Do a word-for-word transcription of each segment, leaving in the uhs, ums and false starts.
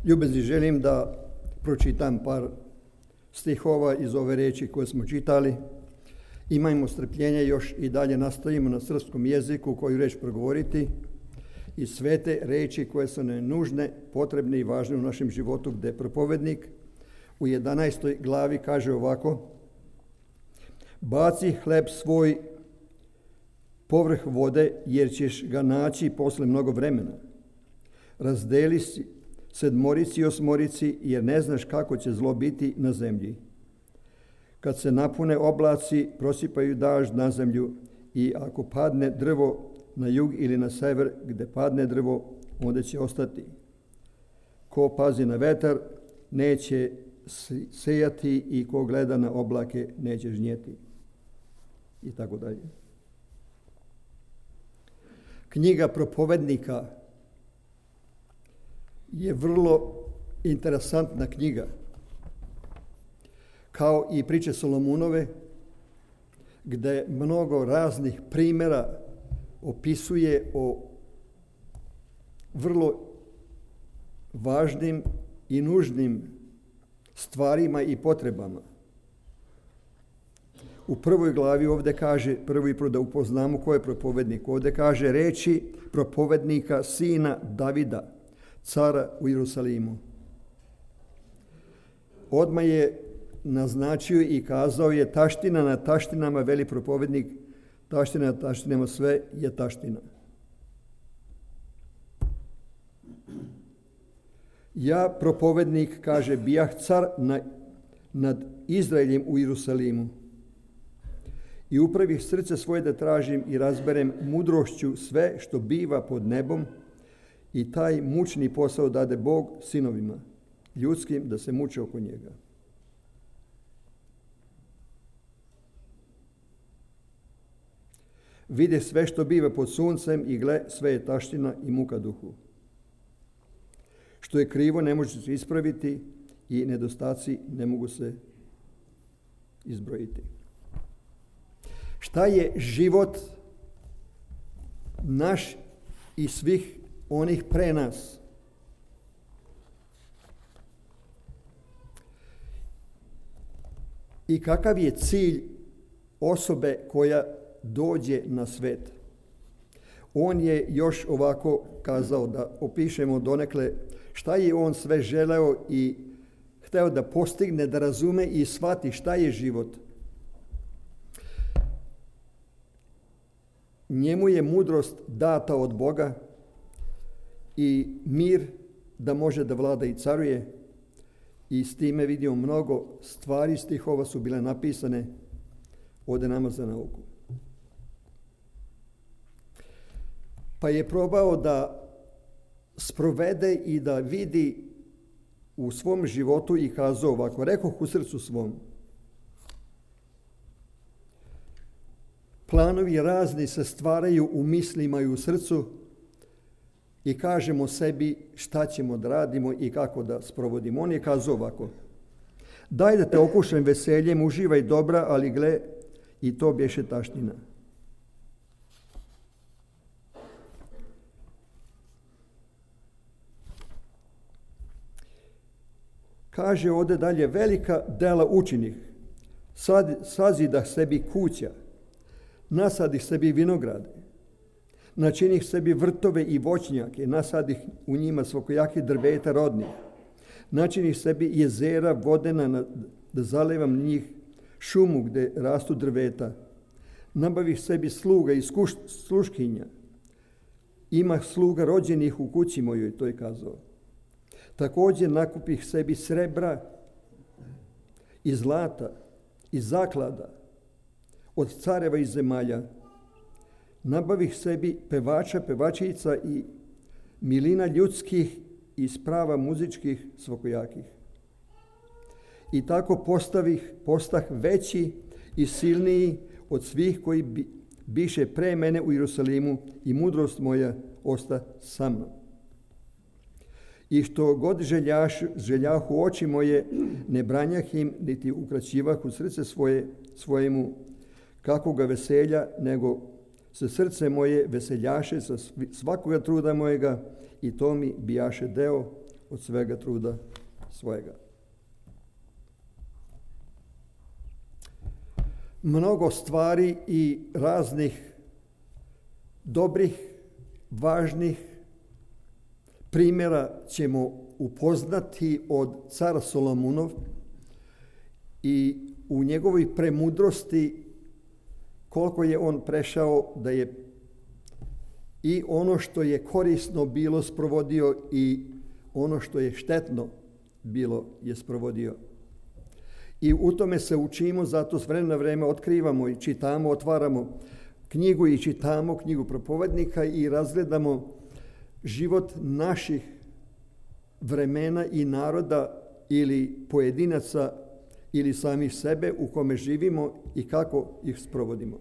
Ljubezni, želim da pročitam par stihova iz ove reči koje smo čitali. Imajmo strpljenja, još i dalje nastavimo na srpskom jeziku koju reč progovoriti i sve te reči koje su nam nužne, potrebne i važne u našem životu, gde propovednik u jedanaestoj glavi kaže ovako: baci hleb svoj povrh vode, jer ćeš ga naći posle mnogo vremena. Razdeli sedmorici i osmorici, jer ne znaš kako će zlo biti na zemlji. Kad se napune oblaci, prosipaju dažd na zemlju, i ako padne drvo na jug ili na sever, gde padne drvo, onda će ostati. Ko pazi na vetar, neće sejati, i ko gleda na oblake, neće žnjeti. I tako dalje. Knjiga Propovednika je vrlo interesantna knjiga, kao i priče Solomunove, gde mnogo raznih primjera opisuje o vrlo važnim i nužnim stvarima i potrebama. U prvoj glavi ovdje kaže, prvo i prvo da upoznamo ko je propovednik, ovdje kaže reči propovednika sina Davida, cara u Jerusalimu. Odmah je naznačio i kazao je: taština na taštinama, veli propovednik, taština na taštinama, sve je taština. Ja, propovednik, kaže, bijah car na, nad Izraeljem u Jerusalimu, i upravih srce svoje da tražim i razberem mudrošću sve što biva pod nebom, i taj mučni posao dade Bog sinovima ljudskim da se muče oko njega. Vide sve što biva pod suncem, i gle, sve je taština i muka duhu. Što je krivo ne može se ispraviti, i nedostaci ne mogu se izbrojiti. Šta je život naš i svih onih pre nas? I kakav je cilj osobe koja dođe na svet? On je još ovako kazao, da opišemo donekle šta je on sve želeo i hteo da postigne, da razume i shvati šta je život. Njemu je mudrost data od Boga i mir da može da vlada i caruje, i s time vidimo mnogo stvari stihova su bile napisane ovdje nama za nauku. Pa je probao da sprovede i da vidi u svom životu i kazao ovako: rekoh u srcu svom. Planovi razni se stvaraju u mislima i u srcu, i kažemo sebi šta ćemo da radimo i kako da sprovodimo. On je kazao ovako: daj da te okušam veseljem, uživaj dobra, ali gle, i to bješe taština. Kaže ovdje dalje: velika dela učinih, sad, sazidah sebi kuća, nasadih sebi vinograde, načinih sebi vrtove i voćnjake, nasadih u njima svakojaki drveta rodnih, načinih sebi jezera vodena, da zalevam njih šumu gde rastu drveta, nabavih sebi sluga i sluškinja, ima sluga rođenih u kući mojoj, to je kazao. Također nakupih sebi srebra i zlata i zaklada od careva i zemalja. Nabavih sebi pevača, pevačica i milina ljudskih i sprava muzičkih svakojakih. I tako postavih, postah veći i silniji od svih koji bi, biše pre mene u Jerusalimu, i mudrost moja osta sa mnom. I što god željaš, željahu oči moje, ne branjah im, niti ukraćivah u srce svoje, svojemu kakvoga veselja, nego se srce moje veseljaše sa svakoga truda mojega, i to mi bijaše deo od svega truda svojega. Mnogo stvari i raznih dobrih, važnih primjera ćemo upoznati od cara Solomunov i u njegovoj premudrosti koliko je on prešao da je i ono što je korisno bilo sprovodio i ono što je štetno bilo je sprovodio. I u tome se učimo, zato s vremena na vreme otkrivamo i čitamo, otvaramo knjigu i čitamo knjigu propovednika i razgledamo život naših vremena i naroda ili pojedinaca ili samih sebe u kome živimo i kako ih sprovodimo.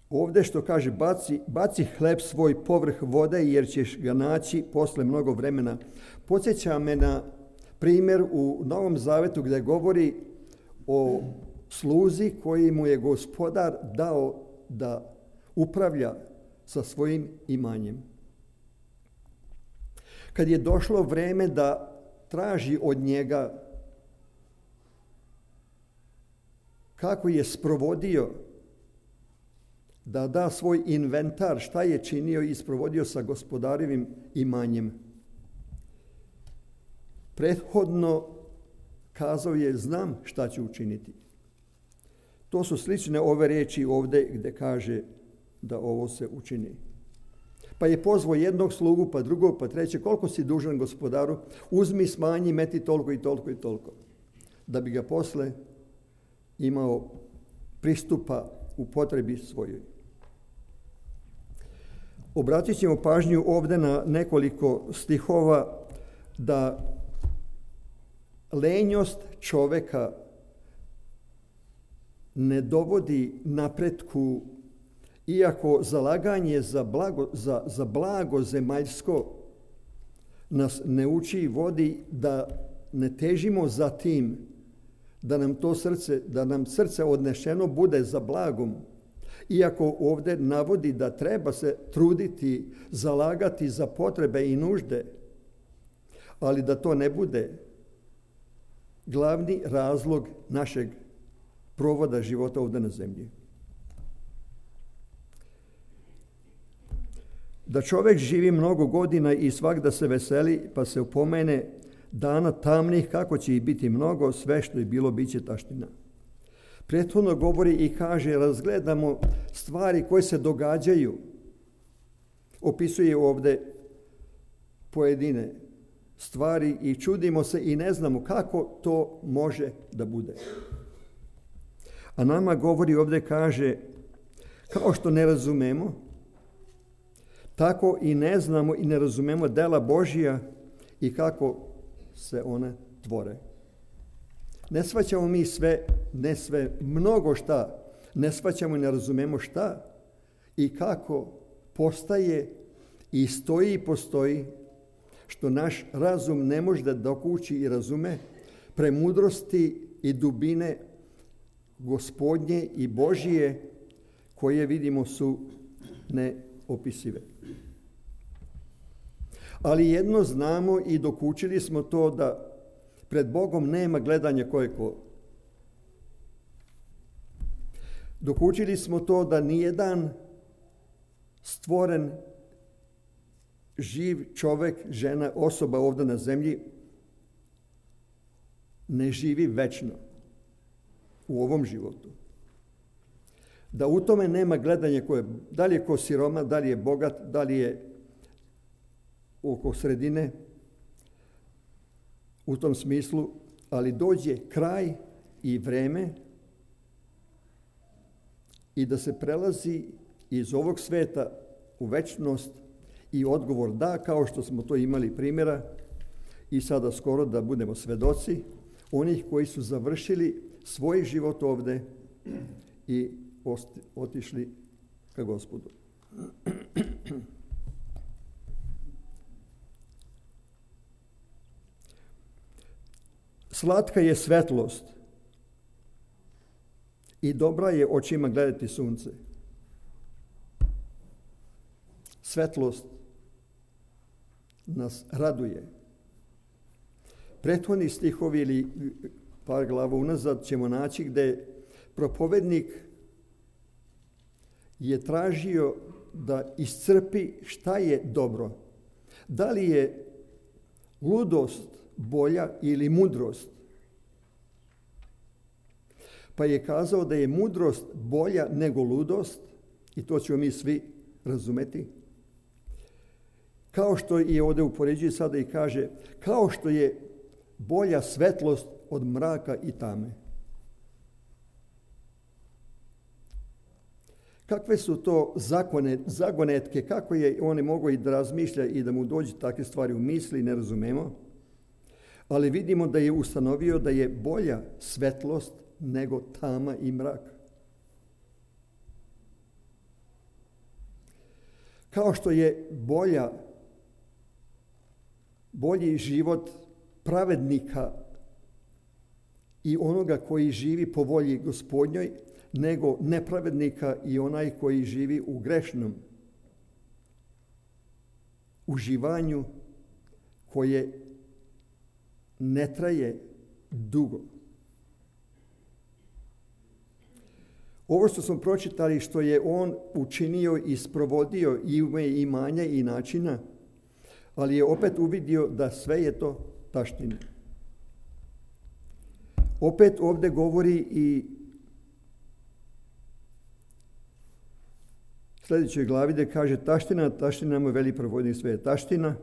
Ovdje što kaže, baci, baci hleb svoj povrh vode jer ćeš ga naći posle mnogo vremena. Podsjeća me na primjer u Novom Zavetu gdje govori o sluzi koji mu je gospodar dao da upravlja sa svojim imanjem. Kad je došlo vrijeme da traži od njega kako je sprovodio, da da svoj inventar, šta je činio i sprovodio sa gospodarevim imanjem. Prethodno kazao je, znam šta ću učiniti. To su slične ove riječi ovdje gdje kaže da ovo se učini. Pa je pozvao jednog slugu, pa drugog, pa trećeg, koliko si dužan gospodaru, uzmi, smanji, meti toliko i toliko i toliko. Da bi ga posle imao pristupa u potrebi svojoj. Obratit ćemo pažnju ovdje na nekoliko stihova da lenjost čoveka ne dovodi napretku, iako zalaganje za blago, za, za blago zemaljsko nas ne uči i vodi da ne težimo za tim da nam to srce, da nam srce odnešeno bude za blagom. Iako ovdje navodi da treba se truditi, zalagati za potrebe i nužde, ali da to ne bude glavni razlog našeg provoda života ovdje na zemlji. Da čovjek živi mnogo godina i svagda se veseli, pa se upomene dana tamnih, kako će ih biti mnogo, sve što je bilo, bit će taština. Prethodno govori i kaže, razgledamo stvari koje se događaju. Opisuje ovdje pojedine stvari i čudimo se i ne znamo kako to može da bude. A nama govori ovdje, kaže, kao što ne razumemo, tako i ne znamo i ne razumemo dela Božija i kako se one tvore. Ne shvaćamo mi sve, ne sve, mnogo šta, ne shvaćamo i ne razumemo šta i kako postaje i stoji i postoji, što naš razum ne može da dokući i razume, premudrosti i dubine Gospodnje i Božije, koje vidimo su neopisive. Ali jedno znamo i dokučili smo to, da pred Bogom nema gledanja ko je ko. Dokučili smo to da nijedan stvoren živ čovjek, žena, osoba ovdje na zemlji ne živi večno u ovom životu. Da u tome nema gledanja ko je, da li je ko siroma, da li je bogat, da li je oko sredine, u tom smislu, ali dođe kraj i vreme i da se prelazi iz ovog sveta u večnost i odgovor da, kao što smo to imali primjera i sada skoro da budemo svedoci onih koji su završili svoj život ovdje i otišli ka Gospodu. Slatka je svetlost i dobra je očima gledati sunce. svetlost nas raduje. Prethodni stihovi ili par glava unazad ćemo naći gde propovednik je tražio da iscrpi šta je dobro. Da li je ludost bolja ili mudrost? Pa je kazao da je mudrost bolja nego ludost i to ćemo mi svi razumeti. Kao što je ovdje upoređuje sada i kaže, kao što je bolja svetlost od mraka i tame. Kakve su to zakone, zagonetke, kako je on mogao i da razmišlja i da mu dođe takve stvari u misli, ne razumemo. Ali vidimo da je ustanovio da je bolja svetlost nego tama i mrak. Kao što je bolja, bolji život pravednika i onoga koji živi po volji Gospodnjoj, nego nepravednika i onaj koji živi u grešnom uživanju koje ne traje dugo. Ovo što smo pročitali, što je on učinio i sprovodio i ume imanja i načina, ali je opet uvidio da sve je to taština. Opet ovdje govori i sljedećoj glavi da kaže taština, taština mu veli provodnik sve je taština,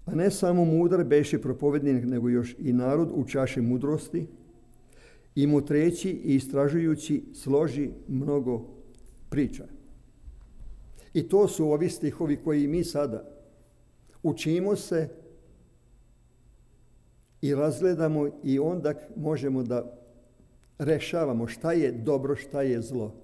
a ne samo mudar beše propovednik, nego još i narod u čaši mudrosti, i mutreći i istražujući složi mnogo priča. I to su ovi stihovi koji mi sada učimo se i razgledamo i onda možemo da rešavamo šta je dobro, šta je zlo.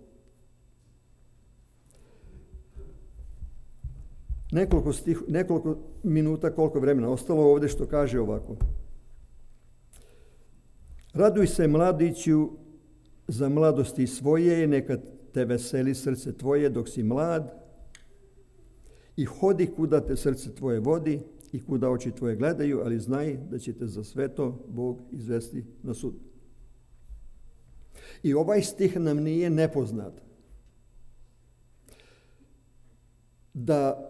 Nekoliko, stih, nekoliko minuta, koliko vremena ostalo ovdje što kaže ovako. Raduj se mladiću za mladosti svoje, neka te veseli srce tvoje dok si mlad i hodi kuda te srce tvoje vodi i kuda oči tvoje gledaju, ali znaj da će te za sve to Bog izvesti na sud. I ovaj stih nam nije nepoznat. Da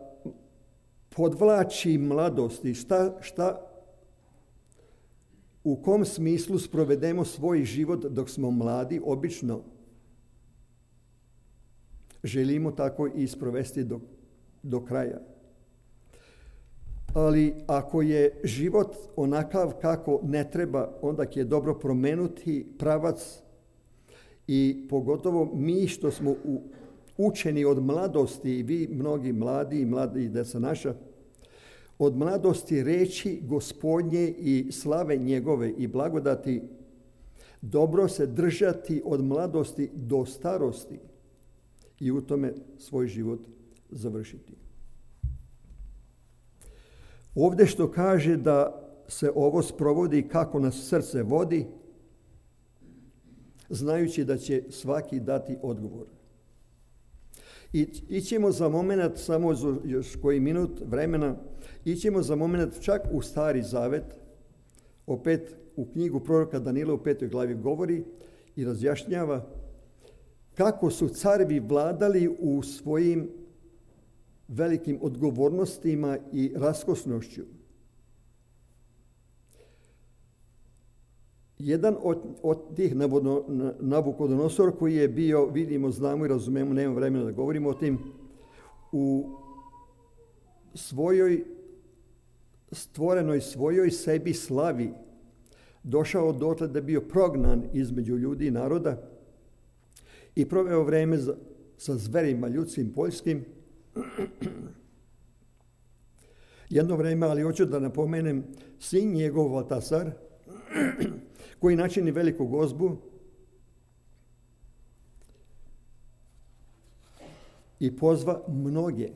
podvlači mladosti, šta, šta, u kom smislu sprovedemo svoj život dok smo mladi, obično želimo tako i sprovesti do, do kraja. Ali ako je život onakav kako ne treba, onda je dobro promenuti pravac i pogotovo mi što smo u učeni od mladosti, i vi mnogi mladi i mladi deca naša, od mladosti reći Gospodnje i slave njegove i blagodati, dobro se držati od mladosti do starosti i u tome svoj život završiti. Ovdje što kaže da se ovo sprovodi kako nas srce vodi, znajući da će svaki dati odgovor. I ićemo za moment, samo još koji minut vremena, ićemo za moment čak u Stari Zavet, opet u knjigu proroka Danila u petoj glavi govori i razjašnjava kako su carevi vladali u svojim velikim odgovornostima i raskosnošću. Jedan od, od tih Nabukodonosor koji je bio, vidimo, znamo i razumemo, nemamo vremena da govorimo o tim, u svojoj stvorenoj svojoj sebi slavi došao dotle da je bio prognan između ljudi i naroda i proveo vreme za, sa zverima ljudskim poljskim. Jedno vreme, ali hoću da napomenem, sin njegov Valtasar, koji načini veliku gozbu i pozva mnoge.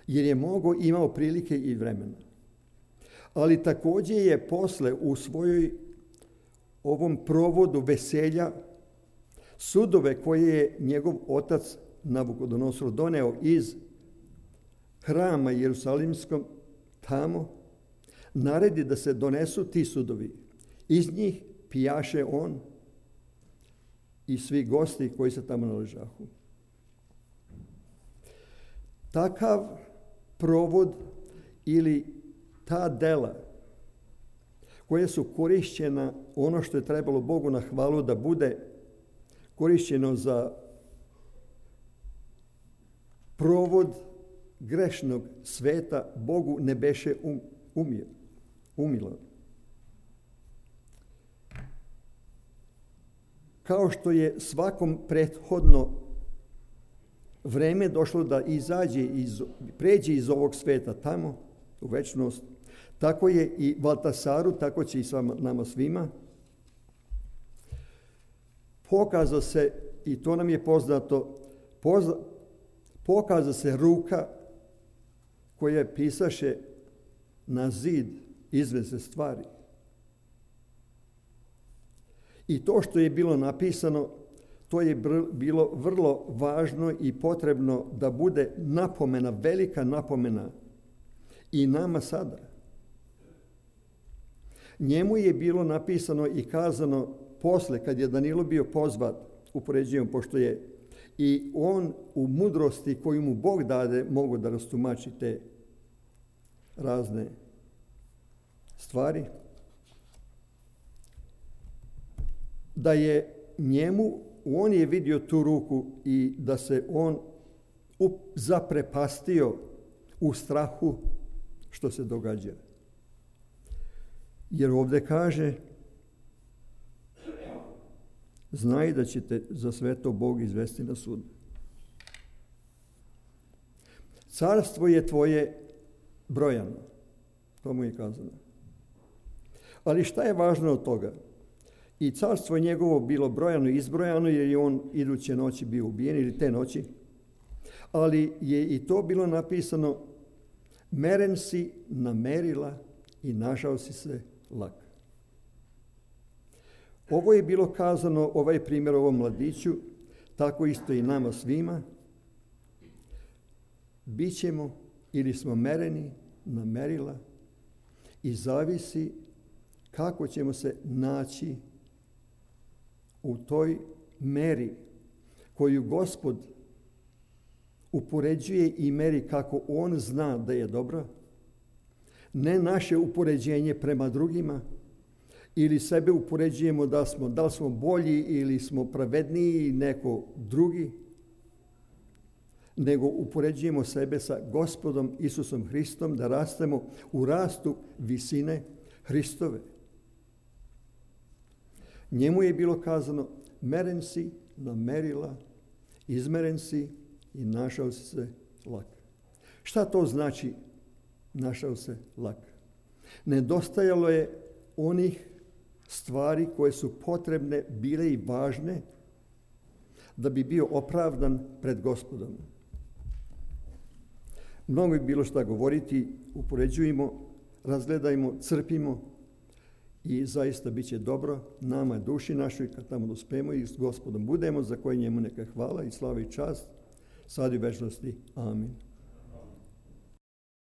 Jer je mogao, imao prilike i vremena. Ali također je posle u svojoj ovom provodu veselja Sudove koje je njegov otac Navukodonosor doneo iz hrama Jerusalimskog tamo, naredi da se donesu ti sudovi. Iz njih pijaše on i svi gosti koji se tamo naležahu. Takav provod ili ta dela koje su korišćena, ono što je trebalo Bogu na hvalu da bude korišćeno za provod grešnog sveta, Bogu ne beše um, umio, umilo. Kao što je svakom prethodno vreme došlo da izađe iz, pređe iz ovog sveta tamo u večnost, tako je i Valtasaru, tako će i sa nama svima. Pokaza se, i to nam je poznato, pozna, pokaza se ruka koja pisaše na zid izvesne stvari. I to što je bilo napisano, to je bilo vrlo važno i potrebno da bude napomena, velika napomena i nama sada. Njemu je bilo napisano i kazano posle, kad je Danilo bio pozvat, upoređujem, pošto je i on u mudrosti koju mu Bog dade mogu da rastumači te razne stvari, da je njemu, on je vidio tu ruku i da se on zaprepastio u strahu što se događa. Jer ovdje kaže, znaj da ćete za sve to Bog izvesti na sud. Carstvo je tvoje brojano, to mu je kazano. Ali šta je važno od toga? I carstvo je njegovo bilo brojano i izbrojano, jer je on iduće noći bio ubijen, ili te noći. Ali je i to bilo napisano, meren si na merila i našao si se lak. Ovo je bilo kazano, ovaj primjer ovom mladiću, tako isto i nama svima. Bićemo ili smo mereni na merila i zavisi kako ćemo se naći u toj meri koju Gospod upoređuje i meri kako on zna da je dobro. Ne naše upoređenje prema drugima ili sebe upoređujemo da smo, da li smo bolji ili smo pravedniji neko drugi, nego upoređujemo sebe sa Gospodom Isusom Hristom da rastemo u rastu visine Hristove. Njemu je bilo kazano, meren si na merila, izmeren si i našao si se lak. Šta to znači našao se lak? Nedostajalo je onih stvari koje su potrebne, bile i važne, da bi bio opravdan pred Gospodom. Mnogo je bilo šta govoriti, upoređujemo, razgledajmo, crpimo i zaista bit će dobro nama, duši našoj, kad tamo dospemo i s Gospodom budemo, za koje njemu neka hvala i slava i čast, sad i u večnosti. Amin.